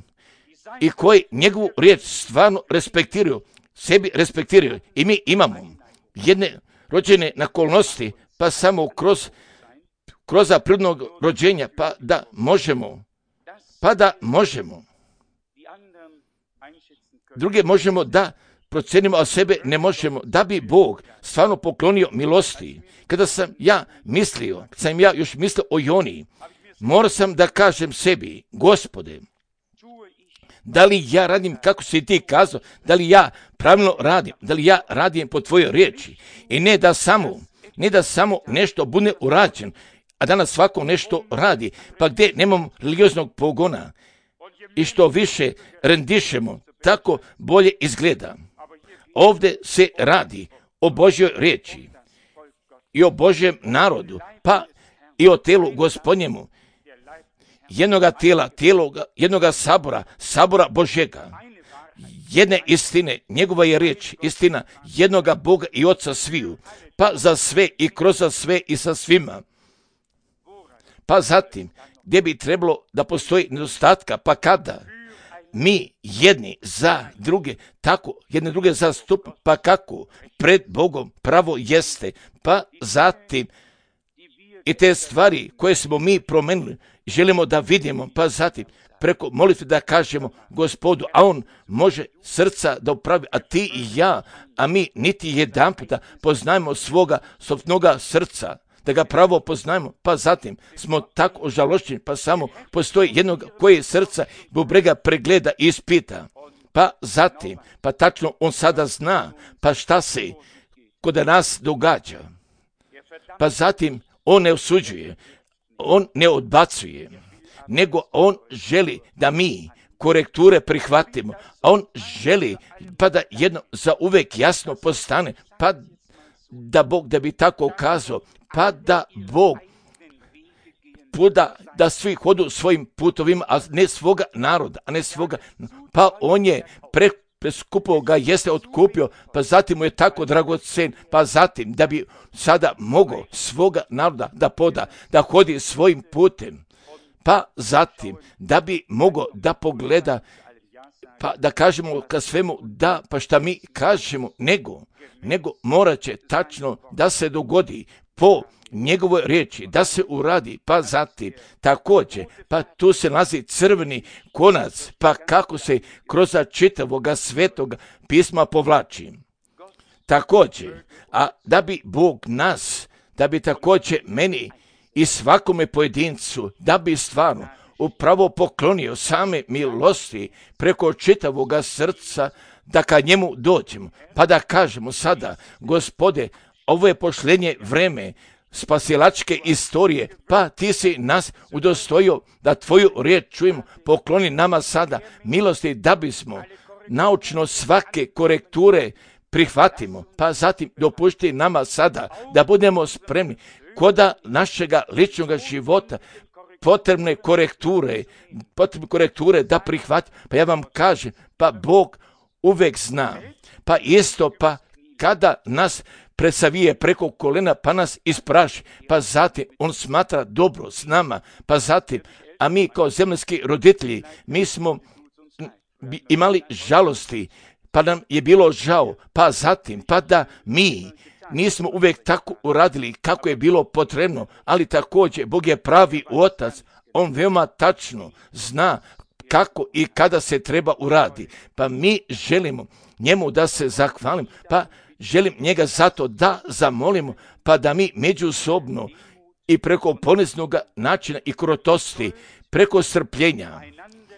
i koji njegovu riječ stvarno respektiraju, sebi respektiraju. I mi imamo jedne rođene nakolnosti, pa samo kroz kroz prirodnog rođenja, pa da možemo pa da možemo druge možemo da procenimo, a sebe ne možemo, da bi Bog stvarno poklonio milosti. Kada sam ja mislio, kada sam ja još mislio o Joni, morao sam da kažem sebi, Gospode, da li ja radim kako si ti kazao, da li ja pravilno radim, da li ja radim po tvojoj riječi i ne da samo, ne da samo nešto bude urađen, a danas svako nešto radi, pa gdje nemamo religioznog pogona i što više rendišemo, tako bolje izgleda. Ovdje se radi o Božjoj riječi i o Božjem narodu, pa i o telu Gospodnjemu, jednoga tijela, tijeloga, jednoga sabora, sabora Božjega, jedne istine, njegova je riječ, istina jednoga Boga i Oca sviju, pa za sve i kroz sve i sa svima. Pa zatim, gdje bi trebalo da postoji nedostatka, pa kada mi jedni za druge, tako jedne druge zastup, pa kako pred Bogom pravo jeste, pa zatim i te stvari koje smo mi promenili, želimo da vidimo, pa zatim preko molitve da kažemo Gospodu, a on može srca da upravi, a ti i ja, a mi niti jedan puta poznajemo svoga sopnoga srca, da ga pravo poznajemo, pa zatim smo tako ožalošćeni, pa samo postoji jednog koji srca bubrega pregleda i ispita, pa zatim, pa tačno on sada zna, pa šta se kod nas događa, pa zatim on ne osuđuje, on ne odbacuje, nego on želi da mi korekture prihvatimo, a on želi pa da jedno za uvek jasno postane, pa da Bog da bi tako kazao, pa da Bog da, da svi hodu svojim putovima, a ne svoga naroda, a ne svoga, pa on je pre, preskupo ga jeste otkupio, pa zatim mu je tako dragocen, pa zatim da bi sada mogao svoga naroda da poda, da hodi svojim putem, pa zatim da bi mogao da pogleda, pa da kažemo ka svemu da, pa šta mi kažemo, nego, nego morat će tačno da se dogodi po njegovoj riječi, da se uradi, pa zatim također, pa tu se nalazi crveni konac, pa kako se kroz čitavoga svetoga pisma povlači. Također, a da bi Bog nas, da bi također meni i svakome pojedincu, da bi stvarno upravo poklonio same milosti preko čitavoga srca, da ka njemu dođemo, pa da kažemo sada, Gospode, ovo je posljednje vreme spasilačke istorije, pa ti si nas udostojio da tvoju riječ čujemo, pokloni nama sada milosti da bismo naučno svake korekture prihvatimo, pa zatim dopušti nama sada da budemo spremni koda našega ličnog života, potrebne korekture, potrebne korekture da prihvatimo, pa ja vam kažem, pa Bog uvek zna, pa isto pa kada nas presavije preko kolena pa nas ispraši, pa zatim on smatra dobro s nama, pa zatim, a mi kao zemaljski roditelji, mi smo imali žalosti, pa nam je bilo žao, pa zatim, pa da mi nismo uvijek tako uradili kako je bilo potrebno, ali također Bog je pravi otac, on veoma tačno zna kako i kada se treba uradi, pa mi želimo njemu da se zahvalim, pa želim njega zato da zamolimo, pa da mi međusobno i preko poniznog načina i krotosti, preko strpljenja,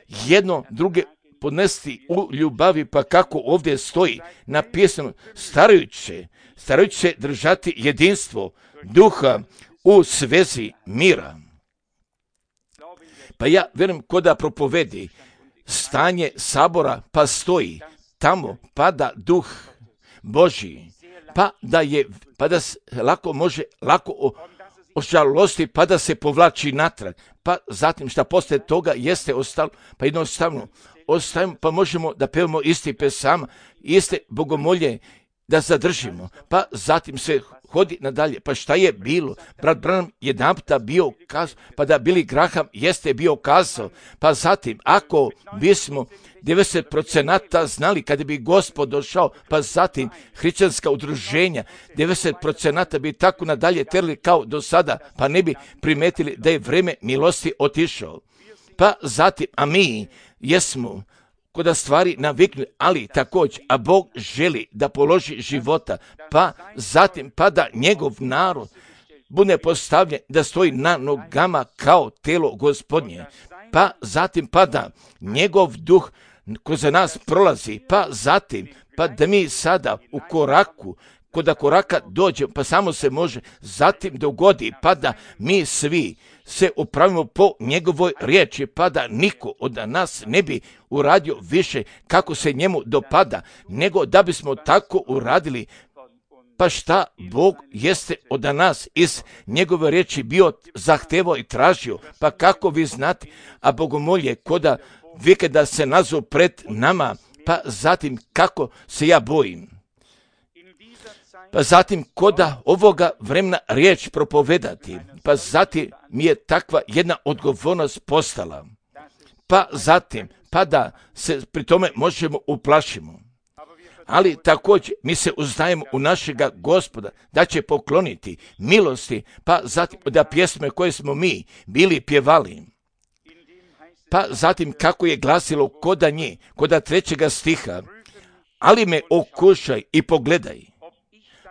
jedno druge podnesti u ljubavi, pa kako ovdje stoji napisano, starajući, starajući se držati jedinstvo duha u svezi mira. Pa ja vjerujem ko da propovedi stanje sabora, pa stoji tamo, pada duh Božji, pa da je, pa da se lako može, lako o, ožalosti, pa da se povlači natrag, pa zatim šta poslije toga jeste ostalo, pa jednostavno ostavimo, pa možemo da pevamo isti pesama, iste bogomolje da zadržimo, pa zatim se hodi nadalje. Pa šta je bilo? Brat Branham jedan puta bio kazao, pa da Billy Graham jeste bio kazao, pa zatim ako bismo devedeset procenata znali kada bi Gospod došao, pa zatim hrišćanska udruženja, devedeset procenata bi tako nadalje terali kao do sada, pa ne bi primetili da je vreme milosti otišao. Pa zatim, a mi jesmo kod stvari naviknuli, ali također, a Bog želi da položi života, pa zatim, pa da njegov narod bude postavljen, da stoji na nogama kao telo Gospodnje, pa zatim, pa da njegov duh kroz nas prolazi, pa zatim, pa da mi sada u koraku, kod koraka dođe, pa samo se može zatim dogodi, pa da mi svi se upravimo po njegovoj riječi, pa da niko od nas ne bi uradio više kako se njemu dopada, nego da bismo tako uradili. Pa šta Bog jeste od nas iz njegove riječi bio zahtevao i tražio, pa kako vi znate, a bogomolje koda vikenda se nazu pred nama, pa zatim kako se ja bojim. Pa zatim koda ovoga vremena riječ propovedati, pa zatim mi je takva jedna odgovornost postala. Pa zatim, pa da se pri tome možemo uplašimo. Ali također mi se uzdajemo u našega Gospoda da će pokloniti milosti, pa zatim da pjesme koje smo mi bili pjevali. Pa zatim kako je glasilo koda nje, koda trećega stiha, ali me okušaj i pogledaj.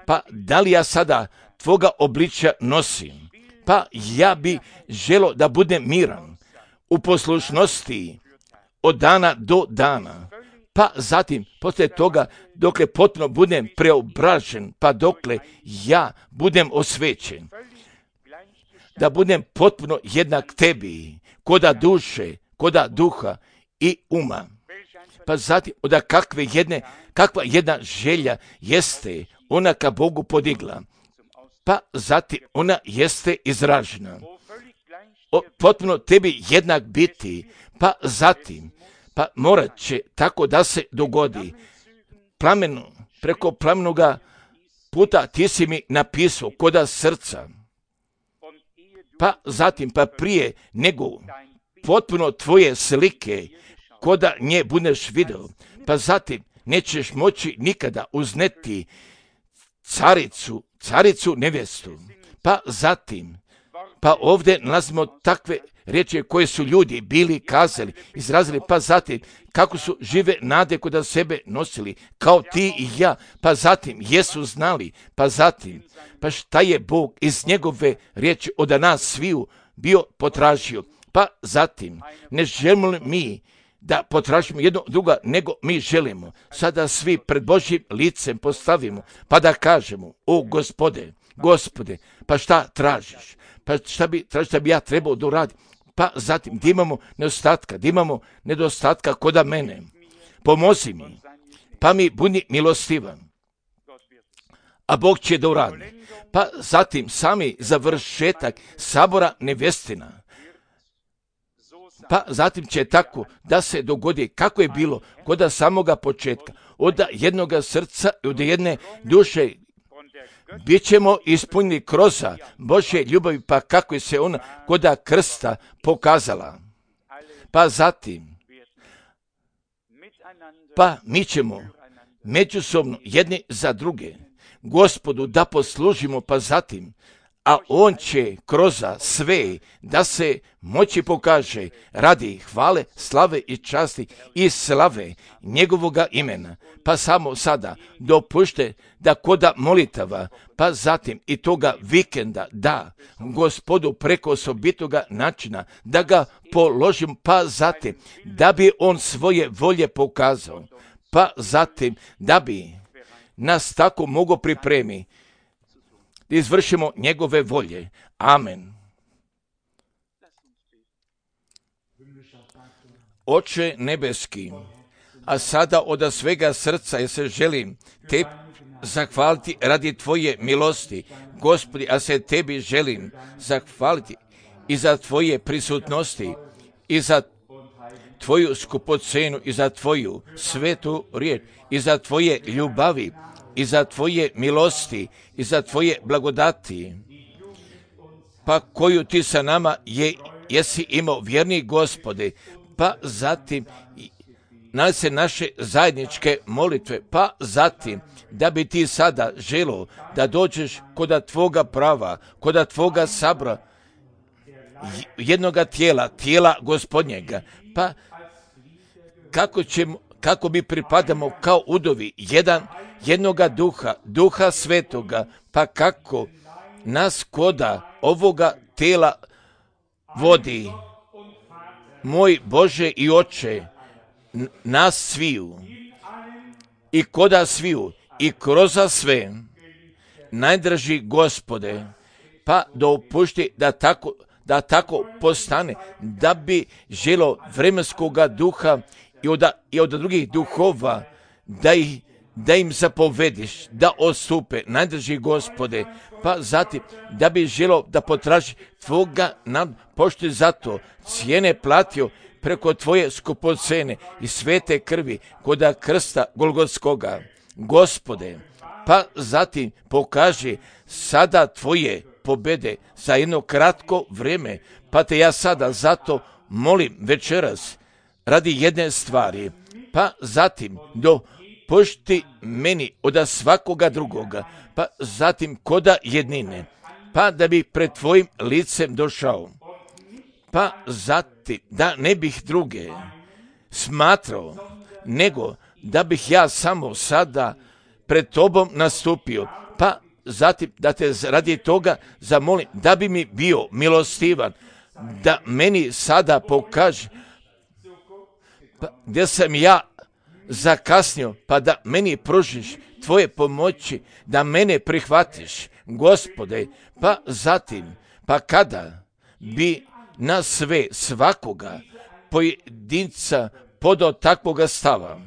Pa da li ja sada tvoga obličja nosim? Pa ja bi želo da budem miran u poslušnosti od dana do dana. Pa zatim, poslije toga, dokle potpuno budem preobražen, pa dokle ja budem osvećen. Da budem potpuno jednak tebi, koda duše, koda duha i uma. Pa zatim, od kakve jedne, kakva jedna želja jeste ona ka Bogu podigla, pa zatim ona jeste izražena. O, potpuno tebi jednak biti, pa zatim, pa morat će tako da se dogodi. Plamenu, preko plamenoga puta ti si mi napisao koda srca, pa zatim, pa prije nego potpuno tvoje slike koda nje budeš video, pa zatim nećeš moći nikada uzneti caricu, caricu nevjestu. Pa zatim, pa ovdje nalazimo takve riječi koje su ljudi bili kazali, izrazili, pa zatim kako su žive nade kod sebe nosili, kao ti i ja, pa zatim jesu znali, pa zatim, pa šta je Bog iz njegove riječi od nas sviju bio potražio, pa zatim ne želimo mi da potražimo jedno druga, nego mi želimo sada svi pred Božjim licem postavimo, pa da kažemo, o Gospode, Gospode, pa šta tražiš? Pa šta bi tražiš da bi ja trebao da uradim? Pa zatim, gdje imamo nedostatka, gdje imamo nedostatka koda mene, pomozi mi, pa mi budi milostivan, a Bog će da uradi. Pa zatim, sami završetak sabora nevjestina Pa zatim će tako da se dogodi kako je bilo kod samoga početka, od jednoga srca i od jedne duše. Bićemo ispunjeni kroz Božje ljubavi, pa kako je se ona kod krsta pokazala. Pa zatim, pa mi ćemo međusobno jedni za druge Gospodu da poslužimo, pa zatim, a on će kroz sve da se moći pokaže radi hvale, slave i časti i slave njegovoga imena. Pa samo sada dopušte da koda molitava, pa zatim i toga vikenda da Gospodu preko osobitoga načina da ga položim, pa zatim da bi on svoje volje pokazao, pa zatim da bi nas tako mogo pripremi da izvršimo njegove volje. Amen. Oče nebeski, a sada od svega srca ja se želim te zahvaliti radi tvoje milosti, Gospodi, a se tebi želim zahvaliti i za tvoje prisutnosti, i za tvoju skupocenu, i za tvoju svetu riječ, i za tvoje ljubavi, i za tvoje milosti, i za tvoje blagodati, pa koju ti sa nama je, jesi imao, vjerni Gospode, pa zatim na se naše zajedničke molitve, pa zatim da bi ti sada želo da dođeš kod tvoga prava, kod tvoga sabra, jednoga tijela, tijela Gospodnjega, pa kako ćemo, kako mi pripadamo kao udovi, jedan, jednoga duha, duha svetoga, pa kako nas koda ovoga tijela vodi, moj Bože i Oče, nas sviju, i koda sviju, i kroz sve, najdraži Gospode, pa dopušti da tako, da tako postane, da bi želo vremenskoga duha i od, i od drugih duhova, da, ih, da im zapovediš, da ostupe, najdraži Gospode, pa zatim da bi želo da potraži tvoga nam, pošto je zato cijene platio preko tvoje skupocene i svete krvi koda krsta Golgotskoga. Gospode, pa zatim pokaži sada tvoje pobede za jedno kratko vrijeme, pa te ja sada zato molim večeras radi jedne stvari, pa zatim dopušti meni od svakoga drugoga, pa zatim koda jednine, pa da bi pred tvojim licem došao, pa zatim da ne bih druge smatrao, nego da bih ja samo sada pred tobom nastupio, pa zatim da te radi toga zamolim da bi mi bio milostivan, da meni sada pokaže pa gdje sam ja zakasnio, pa da meni pružiš tvoje pomoći, da mene prihvatiš, Gospode, pa zatim, pa kada bi na sve svakoga pojedinca podao takvoga stava,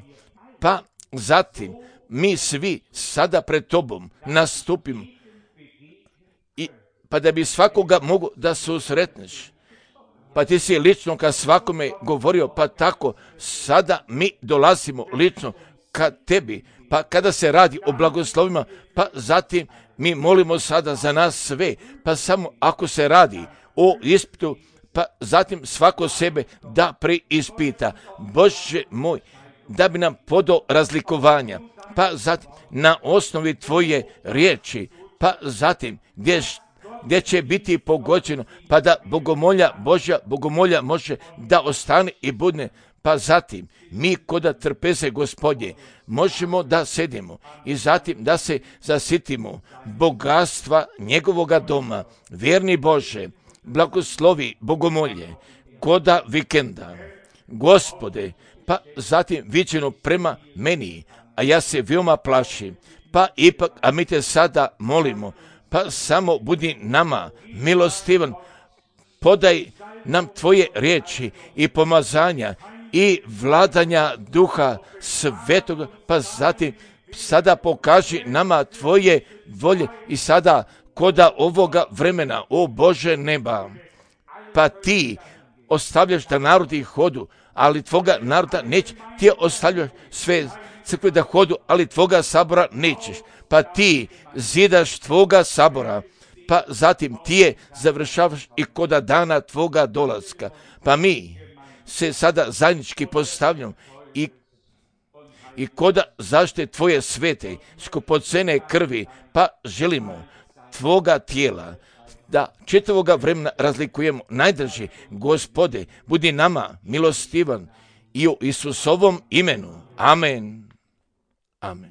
pa zatim mi svi sada pred tobom nastupimo, i, pa da bi svakoga mogu da susretneš, pa ti si lično ka svakome govorio, pa tako sada mi dolazimo lično ka tebi, pa kada se radi o blagoslovima, pa zatim mi molimo sada za nas sve, pa samo ako se radi o ispitu, pa zatim svako sebe da preispita, Bože moj, da bi nam podao razlikovanja, pa zatim na osnovi tvoje riječi, pa zatim gdje, gdje će biti pogođeno, pa da bogomolja Božja, bogomolja može da ostane i budne, pa zatim mi koda trpeze Gospodnje možemo da sedimo i zatim da se zasitimo bogatstva njegovoga doma. Vjerni Bože, blagoslovi bogomolje koda vikenda, Gospode, pa zatim viđeno prema meni, a ja se veoma plašim, pa ipak, a mi te sada molimo, pa samo budi nama milostivan, podaj nam tvoje riječi i pomazanja i vladanja duha svetog, pa zatim sada pokaži nama tvoje volje i sada koda ovoga vremena, o Bože neba, pa ti ostavljaš da narodi hodu, ali tvoga naroda neće. Ti ostavljaš sve crkve da hodu, ali tvoga sabora nećeš. Pa ti zidaš tvoga sabora, pa zatim ti je završavaš i koda dana tvoga dolaska. Pa mi se sada zajednički postavljamo i i koda zaštite tvoje svete, skupocene krvi, pa želimo tvoga tijela, da četvoga vremena razlikujemo najdrži. Gospode, budi nama milostivan i u Isusovom imenu. Amen. Amen.